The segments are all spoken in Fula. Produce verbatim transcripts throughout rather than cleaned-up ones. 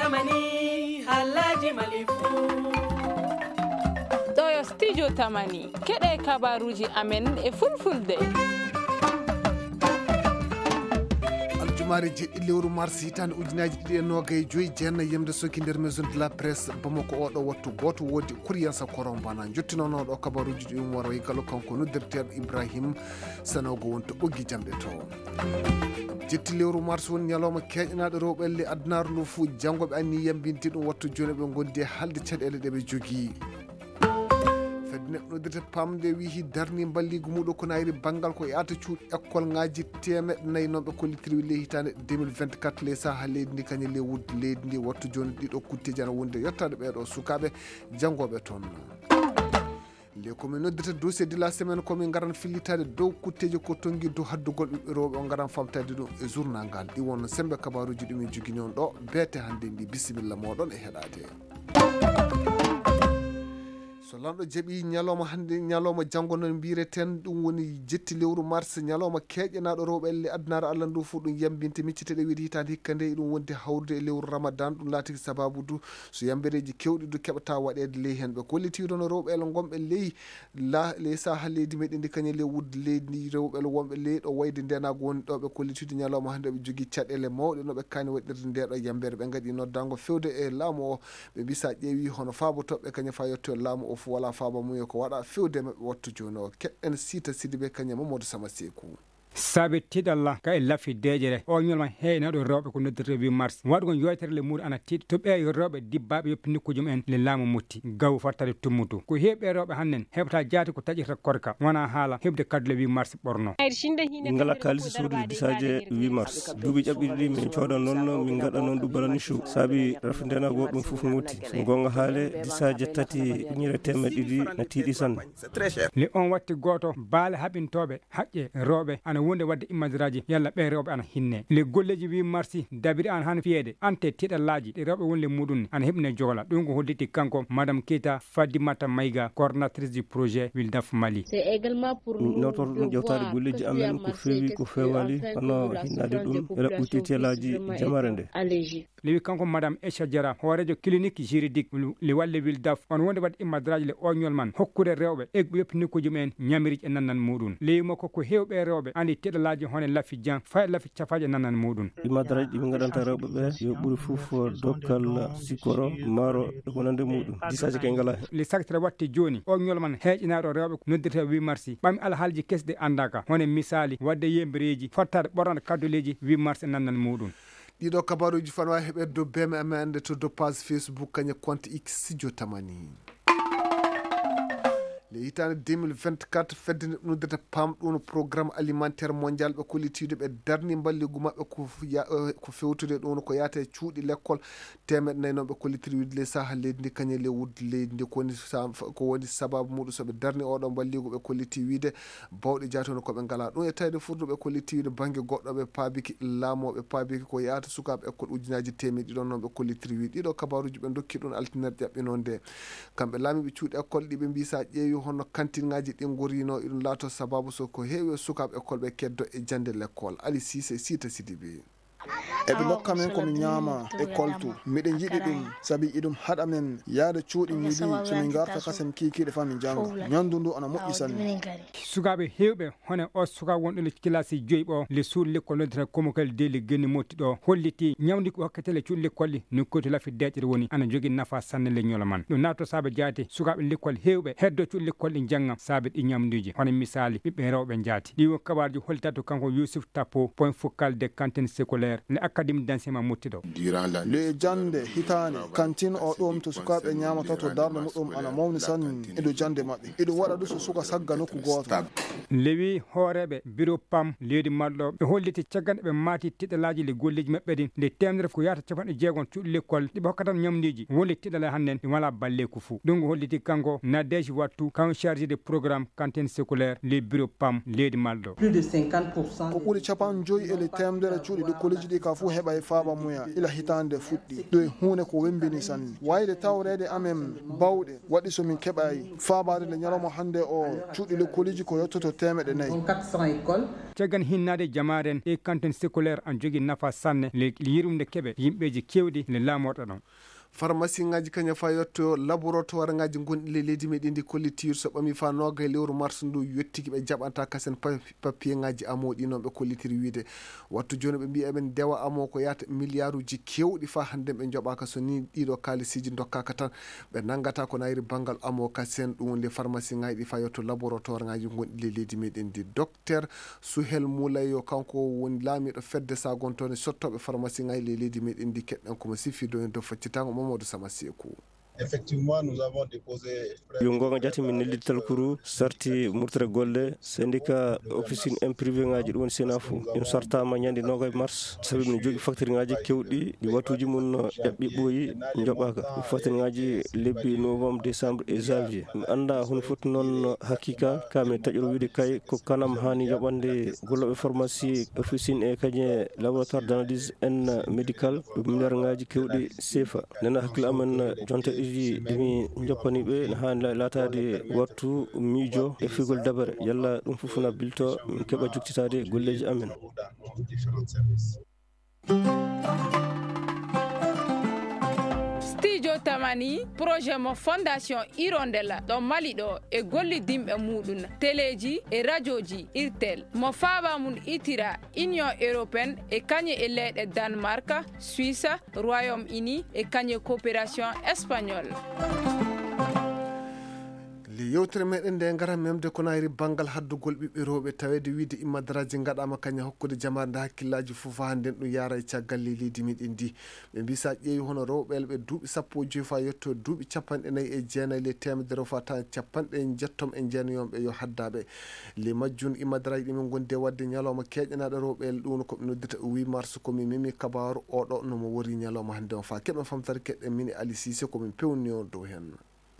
Mani, Alhaji Malifu. Ɗo yo Studio Tamani, keɗe kabaruji amen e fulfulde. Aljumaare jeɗɗi lewru mars hitaande ujunaaji ɗiɗi e noogay joyi, jeenna yamde soki nder Maison de la Presse Bamako. Oɗo wattu gooto woodi Kuriyansa Korombana jottinoono ɗo kabaruji ɗi, um waro e galo kanko noddirteeɗo Ibrahim Sanogo wonto ɓoggi jamɗe to. Jetti lewru mars woni ñalawma keeƴanaaɗo rewɓe le adunaaru ndu fuu. Janngo ɓe anni yambinde ɗum, wattu jooni ɓe ngondi e haalde caɗeele ɗe ɓe jogii. Fedde neɗɗo noddirte pamde wihi darni mballigu muɗum ko nayri banngal ko yaata cuuɗi ekkolŋaaji teemeɗɗe nayi noon ɓe kollitiri le hitaande deux mille vingt-quatre le saha leydi ndi kañum le wudde leydi ndi. Wattu jooni ɗiɗo kutteji ana wonde yettaade ɓeeɗo sukaaɓe janngooɓe toon. Nde ko min noddata dossier de la semaine, ko min ngaran fillitaade dow kutteeji ko tonngi dow haddugol ɓiɓɓe rewɓe, o ngaran famtaade ɗum e journal ngal. Ɗi wonno sembe kabaruuji ɗi min jogini on ɗo beete hannde ndi. Bisimilla mooɗon e heɗaade. So lanɗo jaɓi ñalawma hannde, ñalawma janngo noon mbiyireten, ɗum woni jetti lewru mars, ñalawma keeƴanaaɗo rewɓe elle addunaare Allah ndu fof, ɗum yambinte micciteɗe wiide hitaande hikka nde, ɗum wondi hawrude e lewru Ramadan, ɗum laatiki sababu du so yambereeji keewɗi du keɓata waɗeede ley heen. Ɓe kolliti wii ɗoon rewɓe ele ngonɓe ley la-, ley saha leydi meɗen ndi kañum le wudde leydi ndi, rewɓe ele wonɓe ley ɗo wayde ndeenaagu woni ɗo, ɓe kolliti wii ñalawma hannde ɓe jogii caɗeele mawɗe no ɓe kaani waɗirde nde ɗo yambere. Ɓe ngaɗi noddaango fewde e laamu o, ɓe mbi sa ƴeewi hono faabo toɓɓe kañum fa yetto e laamu o fof wala faabo mum yo ko waɗa fewde maɓɓe wattu jooni o. Keɗɗen Siita Sidibe kañum Mamadou Sama Seeku. Saabe tiiɗalla ka e lafi deeƴere, o ñolma heeynaaɗo rewɓe ko noddirte huit mars. Waɗugol yewtere le muuri ana tiiɗi to ɓeeyo rewɓe dibbaaɓe yoppi nokkuuji mumen le laamu mutti. Gaw fattade tummutu. Ko heewɓe rewɓe hannden heɓata jaati ko taƴirta korka. Wona haala heɓde kaddu le huit mars ɓorno. Min ngala kaalisi soodude disaaje huit mars. Duuɓi ƴaɓɓiɗi ɗi min cooda noon, min ngaɗa noon ɗum balani show. Saabi rafi ndenago ɗum fof mutti. So goonga haale, disaaje tati ujunere teemeɗɗe ɗiɗi na tiiɗi sanne. Le on watti gooto, baale haɓintooɓe haqqe rewɓe ana wonde waɗde immadraji yalla ɓe rewɓe ana hinne. Le golleji huit mars dabiri an hano fiyeede ante tiiɗallaaji ɗi rewɓe woni le muɗum ana heɓne jogola. Ɗum ko holliti kanko Madame Keita Fadimata Maïga, coordonnatrice du projet Wildaf Mali. Min nawtorto ɗum ƴewtaade golleji amen ko feewi, ko feewaali, hono hinnaade ɗum e raɓɓude titellaaji jamare nde. Lewi kanko Madame Aisha Diarra, hooreejo clinique juridique le walle Wildaf, on wonde waɗde immadraji le oñol man, hokkude rewɓe e yoppi nokkuuji mumen ñamiriiji e nannan muɗum. Lewi makko ko heewɓe rewɓe andi tiiɗallaaji hono lafi jan, fay lafi cafaaji e nannan muɗum. Immadraji ɗi min ngaɗanta rewɓe ɓe yo ɓuri fof dokkal, sikoro, maaro e ko nande muɗum. Disaaji kay ngala heen. Le sagtere watte jooni, o ñol man heeƴinaaɗo rewɓe noddirte huit mars, ɓami alhaalji kesɗi anndaka, hono misaali, waɗde yembereeji, fottaade ɓornaade kaddoleeji huit mars e nannan muɗum. Ɗiɗo kabaruuji fano wawi heɓeede dow B M M N to dow page Facebook kañum compte X Studio Tamani. Le hitaande deux mille vingt-quatre, fedde nde ɗum noddata pam ɗum programme alimentaire mondial ɓe kollitiiɗo ɓe darni mballigu maɓɓe ko f-, ya-, eh, ko fewtude ɗum ko yaata e cuuɗi lekkol teemeɗɗe nayi noon ɓe kollitiri wiide le saha leydi ndi kañum le wudde leydi ndi ko woni sa-, ko woni sababu muɗum so ɓe darni oɗo mballigu ɓe kolliti wiide bawɗe jaati hono ko ɓe ngala ɗum e tawde furduɓe kolliti wiide bannge goɗɗo ɓe paabiki laamu o ɓe paabiki ko yaata sukaaɓe école ujunaaji teemeɗɗe ɗiɗi ɗon noon ɓe kollitiri wiide ɗiɗo kabaruuji ɓe dokki ɗum altine ƴaɓɓinoo nde. Kamɓe laamiiɓe cuuɗi école ɗi ɓe mbii sa ƴeewi hono kantinŋaaji ɗi ngorino iɗum laato sababu so ko heewi e sukaaɓe école ɓe keddo e jannde l'école. Ali Siise, Siita Sidibe. Eɓe ndokka men ko min ñaama e koltu. Miɗen yiɗi ɗum, sabi iɗum haɗa men yaade cuuɗi midi, so min ngarta kasen kiikiiɗe fa min jannga. Ñanndu ndu ana moƴƴi sanne. Sukaaɓe heewɓe, hono o suka wonɗo le kilasi joyi ɓo, le suudu lekkol noddata Komokal de le Genni Motti ɗo, holliti ñawndi ko hokkete le cuuɗi lekkol ɗi nokkuuji lafi deeƴere woni, ana jogii nafa sanne le ñolo man. Ɗum naatto saabe jaate, sukaaɓe lekkol heewɓe heddo cuuɗi lekkol ɗi jannga saabe ɗi ñamduuji, hono misaali, ɓiɓɓe rewɓe jaati. Ɗi wo kabaarji hollitata to kanko Youssouf Tapo, point focal de cantine scolaire, le académie d'enseignement mottiɗo. Le jannde hitaande, cantine o ɗum to sukaaɓe ñaamata to darnde muɗum ana mawni sanne e dow jannde maɓɓe. Iɗum waɗa du so suka sagga nokku gooto. Lewi hooreeɓe biro pam leydi malɗo ɓe holliti caggal ɓe maati tiɗalaaji le golleeji maɓɓe ɗin nde teemedere ko yaata capanɗe jeegom cuuɗi lekkol ɗi ɓe hokkata ñamduuji woni tiɗala hannden ɗi wala balleeku fuu. Ɗum ko holliti kanko Nadège Wattu, kanko chargé de programme cantine scolaire le biro pam leydi malɗo. Ko ɓuri capanɗe joyi e le teemedere cuuɗi ɗi kolleeji ɗi ka fuu Heɓay faaba muya ila hitaande fuɗɗi. Ɗum e huunde ko wemmbini sanne. Wayde tawreede amen bawɗe waɗi so min keɓay faabaade nde ñalawma hannde o cuuɗi lekkooliji ko yottoto teemeɗɗe nayi. Caggan hinnaade jamaaren e kantin scolaire an jogi nafa sanne le yirwinde keɓe yimɓeeji keewɗi le laamorɗo ɗon. Farmasiŋaaji kañum faa yotto laboratoire ŋaaji gonɗi le leydi meɗen ndi kollitir so ɓami faa nooga e lewru mars ndu yottiki ɓe jaɓanta kasen pa- papiyeŋaaji amoo ɗi noon ɓe kollitiri wiide wattu jooni ɓe mbiya eɓen ndewa amoo ko yahata miliyaaruuji keewɗi faa hannde ɓe njoɓaaka so ni ɗiɗo kaalisiiji ndokkaaka tan ɓe nanngata ko nayri banngal amoo kasen ɗum woni le farmasiŋaaji ɗi faa yotto laboratoire ŋaaji gonɗi le leydi meɗen ndi dok Ter Suhel Moulay yo kanko woni laamiiɗo fedde sagontoone sottooɓe farmasiŋaaji ley leydi meɗen ndi keɗɗen komo sifi doño dow faccitaango Mamadou Sama Seeku. Effectivement, nous avons déposé yo goonga jati min nellital kuru sarti murtere golle syndicat officine en privé ngaji ɗum woni sena fo ɗum sartama ñande nogay mars sabi min jogi facture ngaji kewɗi ɗi watuji mum ƴaɓɓi ɓooyi joɓaka facture ngaji lebbi novembre décembre e janvier mi anda hono foti noon hakika ka min taƴoro wiide kay ko kanam hani yoɓande golloɓe pharmacie officine e kañe laboratoire d'analyse en médical ɗum milliard ngaji kewɗi sefa nena hakkille amen jonte ɗiɗi ɗimi joppaniɓe ne hani latade wattu miijo e figol dabare yalla ɗum fof na bilto min keɓa joktitade golleji amen. Studio Tamani, projet mo Fondation Hirondelle ɗo Mali ɗo e gollidinɓe muɗum, teleji e rajoji, irtel, mo faaba mum itira Union Européenne e kañe e leyɗe Danemark, Suisse, Royaume-Uni e kañe coopération espagnole. Le yewtere meɗen nde ngara memde ko nayri banngal haddugol ɓiɓɓe rewɓe taweede wiide immadaraaji ngaɗaama kañum hokkude jamaare nde hakkillaaji fof haa nden ɗum yaara e caggal ley leydi meɗen ndi ɓe mbi sa ƴeewi hono rewɓe elɓe duuɓi sappo e joyi faa yetto duuɓi capanɗe nayi e jeenayi le temedere faa tan capanɗe jettom e jeenayi on ɓe yo haddaaɓe le majjum immadaraaji ɗi min ngondi e waɗde ñalawma keeƴanaaɗo rewɓe el ɗum ko ɓe noddirta o wi mars ko mi memi kabaaru oɗo no mo wori ñalawma hannde on faa keɓen famtare keɗɗen min e ali sise ko min pewnio dow heen.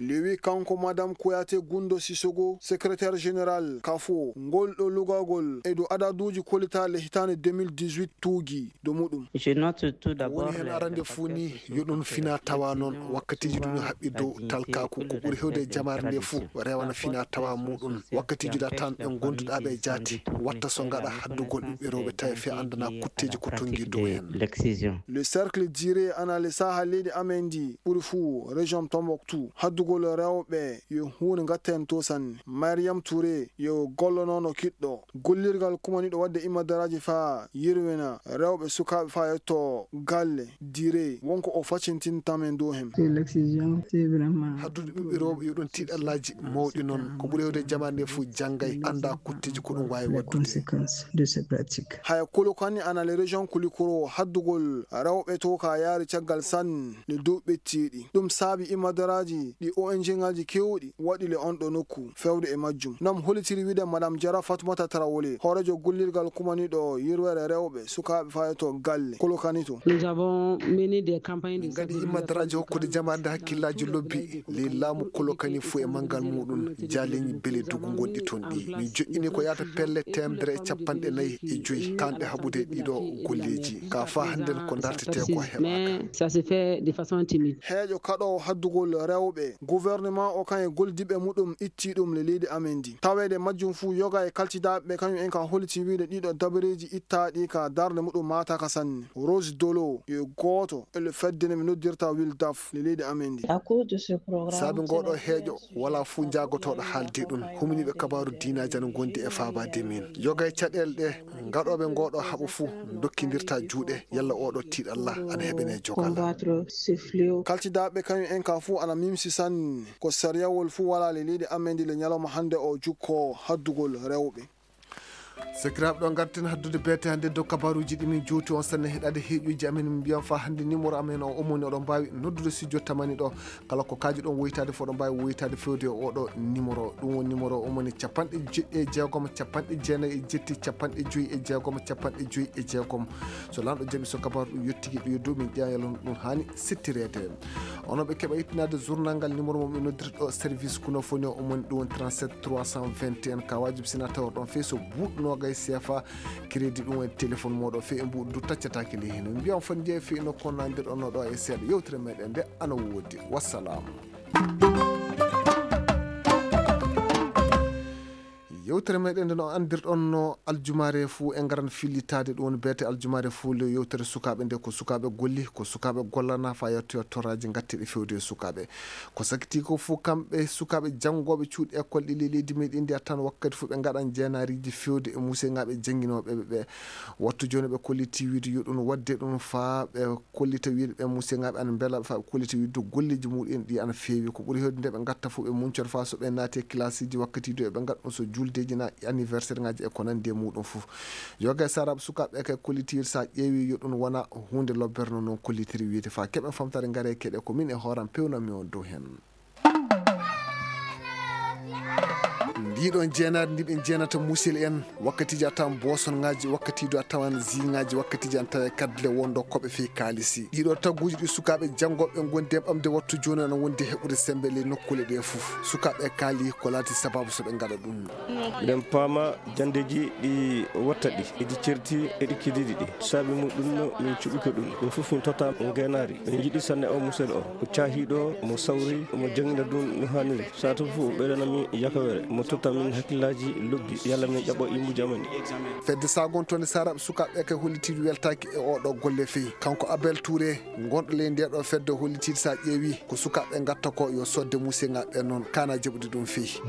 Lewi kanko madame Kouyaté Gundo Sissoko, secrétaire général kafo ngol ɗo lugagol e dow adaduuji kollitaaɗe hitaande deux mille dix-huit tuugi dow muɗum. Ko woni heen arande fuu ni yo ɗum fina tawa noon wakkatiiji ɗum haɓɓi dow talkaaku ko ɓuri hewde e jamaare nde fuu rewana fina tawa muɗum wakkatiiji da tan ɓe gonduɗa ɓe jaati watta so ngaɗa haddugol ɓiɓɓe rewɓe tawi fe andana kutteji ko tongi dow heen. Le cercle diré ana le saha leydi amen ndi ɓuri fuu région Tombouctou haddugol rewɓe yo huunde ngatten to sanne. Mariam Touré yo gollonono kiɗɗo gollirgal kumaniɗo waɗde imadaraaji faa yirwina rewɓe sukaaɓe faa yetto galle dire wonko o facintintamen dow heen. Haddude ɓiɓɓe rewɓe yo ɗum tiiɗallaaji mawɗi noon ko ɓuri hewde jamaane nde fof janngay annda kutteji ko ɗum waawi waɗdude. Haya Kolokani ana le région Kulikoro haddugol rewɓe to ka yaari caggal sanne le dow ɓettiiɗi ɗum saabi imadaraaji ɗi O N G ngaji kewɗi waɗi le on ɗo nokku fewde e majjum nam holitiri wiide madame Jara Fatmata Tarawole hoorejo gollirgal kumaniɗo yirwere rewɓe sukaaɓe fayoto galle Kolokani to. Nous avons mené des campagnes de sensibilisation. Min ngaɗi imadaraaji hokkude jamaade hakkillaaji lobbi ley laamu Kolokani fof e manngal muɗum jaaleñi bele dogu gonɗi toon ɗi min joƴƴini ko yahata pelle teemedere e capanɗe nayi e joyi kanɗe haɓude ɗiɗo golleeji ka faa hannden ko dartete ko heɓaaka. Mais ça se fait de façon timide. Heeƴo kaɗoowo haddugol rewɓe gouvernement o kan e goldiɓe muɗum itti ɗum le leydi amen ndi taweede majjum fuu yoga e kaltidaaɓe ɓe kañum en ka holiti wiide ɗiɗo dabareeji ittaaɗi ka darnde muɗum maataaka sanne. Rose Dolo yo gooto e le fedde nde mi noddirta Wildaf le leydi amen ndi. Saabi ngooɗo heeƴo wala fuu jaagotooɗo haalde ɗum huminiiɓe kabaaru diinaaji ana ngondi e faabaade min yoga e caɗeele ɗe ngaɗooɓe ngooɗo haɓo fuu dokkindirta juuɗe yalla oɗo tiiɗalla ana heɓene jogal. Kaltidaaɓe kañum en ka fuu ana mimsi sanne ko sariyawol fuu wala le leydi amen ndi le ñalawma hannde o jukko haddugol rewɓe. Sakiraaɓe ɗo ngarten haddude beete hannde dow kabaruuji ɗi min jowti on sanne heɗaade heeƴuuji amen min mbiyan faa hannde numéro amen o omoni oɗon mbaawi noddude studio tamani ɗo kala ko kaaji ɗon woytaade fof ɗon mbaawi woytaade fewde e oɗo numéro ɗum woni numéro omoni capanɗe jeɗɗi e jeegom capanɗe jeenayi e jetti capanɗe joyi e jeegom capanɗe joyi e jeegom so lanɗo jaɓi so kabaru ɗum yettiki ɗo yeddu min ƴeewa yalla ɗum haani sittireede. Onon ɓe keɓa ittinaade journal ngal numéro mum ɓe noddirta ɗo service kuno foni o omoni ɗum woni trente-sept trois cent vingt et un ka wajibi sina tawa ɗon fey so buuɗɗo Nogay sefa. Crédit ɗum e téléphone moɗo fe e mbuɗu du taccatake ley hino. Mbiyan fon je fe ino konnandir on ɗo e seeɗa. Yewtere meɗen nde ana wodi. Wassalam. Yewtere meɗen nde no andirɗon no aljumaare fuu e ngaran fillitaade ɗum woni beete aljumaare fuu le yewtere sukaaɓe nde ko sukaaɓe golli, ko sukaaɓe gollana fa yettoyo toraaji ngatteɗi fewde e sukaaɓe. Ko sakiti ko fof kamɓe sukaaɓe janngooɓe cuuɗi école ɗi ley leydi meɗen ndi a tan wakkati fof ɓe ngaɗan jeenaariiji fewde e museŋaaɓe jannginooɓe ɓe ɓe. Wattu jooni ɓe kolliti wiide yo ɗum waɗde ɗum faa ɓe kollita wiide ɓe museŋaaɓe ana mbela ɓe faa ɓe kollita wiide golleeji muɗum ɗi ana feewi. Ko ɓuri heewde nde ɓe ngatta fof ɓe muncor faa so ɓe naati e kilasiiji wakkati du eɓe ngaɗa ɗum so juldeeji na anniversaire ŋaaji e ko nanndi e muɗum fof. Yoga e saraaɓe sukaaɓe ɓe kay kolliti wiide so a ƴeewi yo ɗum wona huunde lobbere no noon kollitiri wiide faa keɓen famtare ngare keɗe ko min e hooram pewnanmi on dow heen. Ndiɗon jeenaari ndi ɓe jeenata musil en, wakkatiiji a tawan boosonŋaaji, wakkatiiji a tawan ziŋaaji, wakkatiiji an tawa e kadle wondo koɓe fii kaalisi. Ɗiɗo tagguuji ɗi sukaaɓe janngooɓe ngondi e ɓamde wattu jooni ana wondi heɓude semmbe ley nokkuule ɗe fof. Sukaaɓe kaali ko laati sabaabu so ɓe ngaɗa ɗum. Miɗen paama janndeeji ɗi watta ɗi, eɗi certi, eɗi kidiiɗi ɗi. Saabi muɗum min cuɓike ɗum. Min fof min totta ngeenaari. Min njiɗi sanne o musel o. Ko caahiiɗo, mo sawri, mo janngina ɗum no haaniri. Saatu fof ɓeydanami yakawere, mo totta min hakkillaaji lobbi, yalla min ƴaɓɓo immu jamani. Fedde sagontonde saraaɓe sukaaɓe ɓe kay hollitiiɗo weltaaki e oɗo golle fii. Kanko Abel Touré, gonɗo ley nde ɗo fedde hollitiiɗo so a ƴeewi ko sukaaɓe ngatta ko yo sodde museŋaaɓe ɓe noon, kana jaɓude ɗum fii.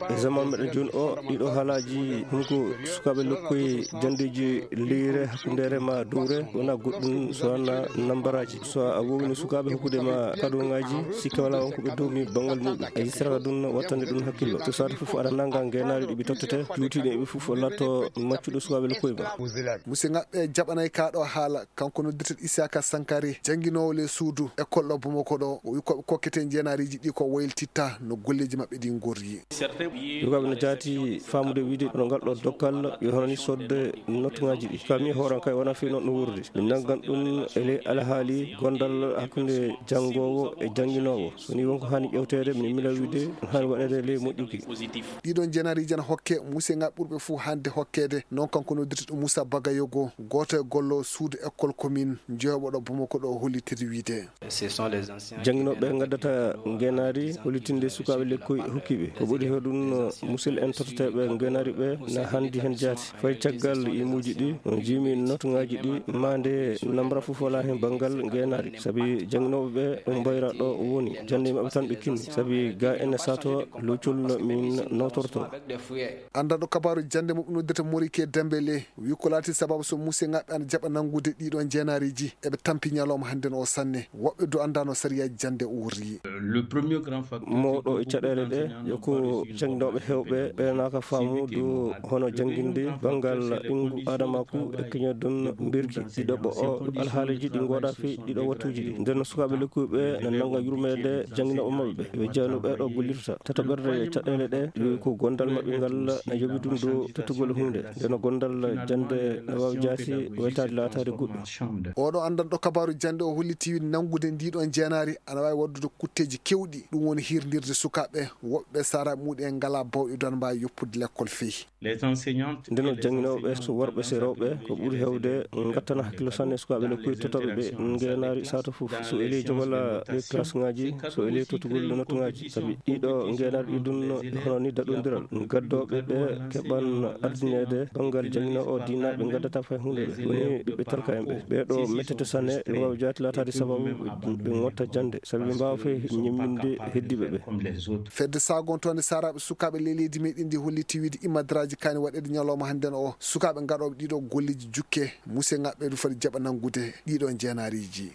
E zaman meɗen jooni o, ɗiɗo haalaaji, hunko sukaaɓe lokkoye janndeeji leyre, hakkundeere ma dowre, wona goɗɗum so wona nambaraaji. So a wowni sukaaɓe hokkude ma kadoŋaaji, sikke wala on ko ɓe dowmi banngal muɗum. A yistirata ɗum, wattande ɗum hakkillo. So saatu fof aɗa nannga ngeenaari ɗi ɓe tottete, juutiiɗo e ɓe fof o laatto maccuɗo sukaaɓe lokkoye ma. Museŋaaɓe jaɓanay kaa ɗo haala, kanko noddirteɗo Isaka Sankare, jannginoowo ley suudu école ɗo Bamako ɗo, o wi ko ɓe kokkete jeenaariiji ɗi ko waylititta no golleeji maɓɓe ɗi ngorri. Sukaaɓe no jaati faamude wiide no ngal ɗo dokkal yo hono ni sodde nottuŋaaji ɗi. Ka mi hooran kay wona fii noon no wuurdi. Min nanngan ɗum e ley alhaali gondal hakkunde janngoowo e jannginoowo. So ni wonko haani ƴewteede, min mila wiide no haani waɗeede ley moƴƴuki. Ɗiɗon jeenaariiji ana hokke, museŋaaɓe ɓurɓe fof hannde hokkeede. Noon kanko noddirteɗo Moussa Bagayogo, gooto e gollo suudu école commune, jeyoɓo ɗo Bamako ɗo hollitiri wiide. Jannginooɓe ɓe ngaddata ngeenaari hollitinde sukaaɓe lekkoy hokkiiɓe. Ko ɓuri heewde ɗum, musil en totteteeɓe ngeenaari ɓe na hanndi heen jaati. Fay caggal imuuji ɗi, on jiimi notuŋaaji ɗi, maande namra fof walaa heen banngal ngeenaari. Sabi jannginooɓe ɓe, ɗum mbayra ɗo woni. Jannde maɓɓe tan ɓe kinni. Sabi ga ene saato locol min nawtorto. Anndanɗo kabaaru jannde mo ɓe noddirta Morike Dembele, wi ko laati sababu so museŋaaɓe ana jaɓa nanngude ɗiɗo jeenaariiji, eɓe tampi ñalawma hannden o sanne. Woɓɓe du anndaano sariyaaji jannde o worri. Mawɗo e caɗeele ɗe, yo ko jannginooɓe heewɓe ɓe naaka faamu du hono jannginde banngal ɓinngu aadamaaku e keñoɗon mbirki. Ɗiɗo ɓo o alhaaliiji ɗi ngooɗaa fii ɗiɗo wattuuji ɗi. Nden sukaaɓe lekkuɓe na nannga yurmeede jannginooɓe maɓɓe ɓe. Ɓe jeyano ɓe ɗo gollirta. Tataɓerde caɗeele ɗe, yo ko gondal maɓɓe ngal na yoɓi ɗum dow tottugol huunde. Nden gondal jannde na waawi jaati waytaade laataade goɗɗum. Oɗo anndanɗo kabaaru jannde o holliti nanngude ndiɗon jeenaari ana waawi waɗdude kutteeji keewɗi, ɗum woni hirndirde sukaaɓe woɓɓe saraaɓe muɗum en ngalaa bawɗe don mbaawi yoppude lekkol fii. Nden jannginooɓe so worɓe so rewɓe ko ɓuri heewde ngattana hakkillo sanne sukaaɓe lekkoy tottooɓe ɓe ngeenaari saatu fof. So elii jogol ɗi classe ŋaaji, so elii tottugol nottuŋaaji. Sabi ɗiɗo ngeenaari ɗi ɗum hono ni daɗondiral. Gaddooɓe ɓe keɓan ardineede banngal jannginoo o diinaaɓe ngaddata fay huunde ɓe. Woni ɓiɓɓe talka en ɓe. Ɓee ɗo mettete sanne ɓe waawi jaati laataade sababu ɓe ngotta jannde. Sabi ɓe mbaawa fay ñemminde heddiiɓe ɓe. Fedde sagontonde saraaɓe sukaaɓe ley leydi meɗen ndi holliti wiide imadraaji kaani waɗeede ñalawma hannden o. Sukaaɓe ngaɗooɓe ɗiɗo golleeji jukke, museŋaaɓe du foti jaɓa nanngude ɗiɗo jeenaariiji.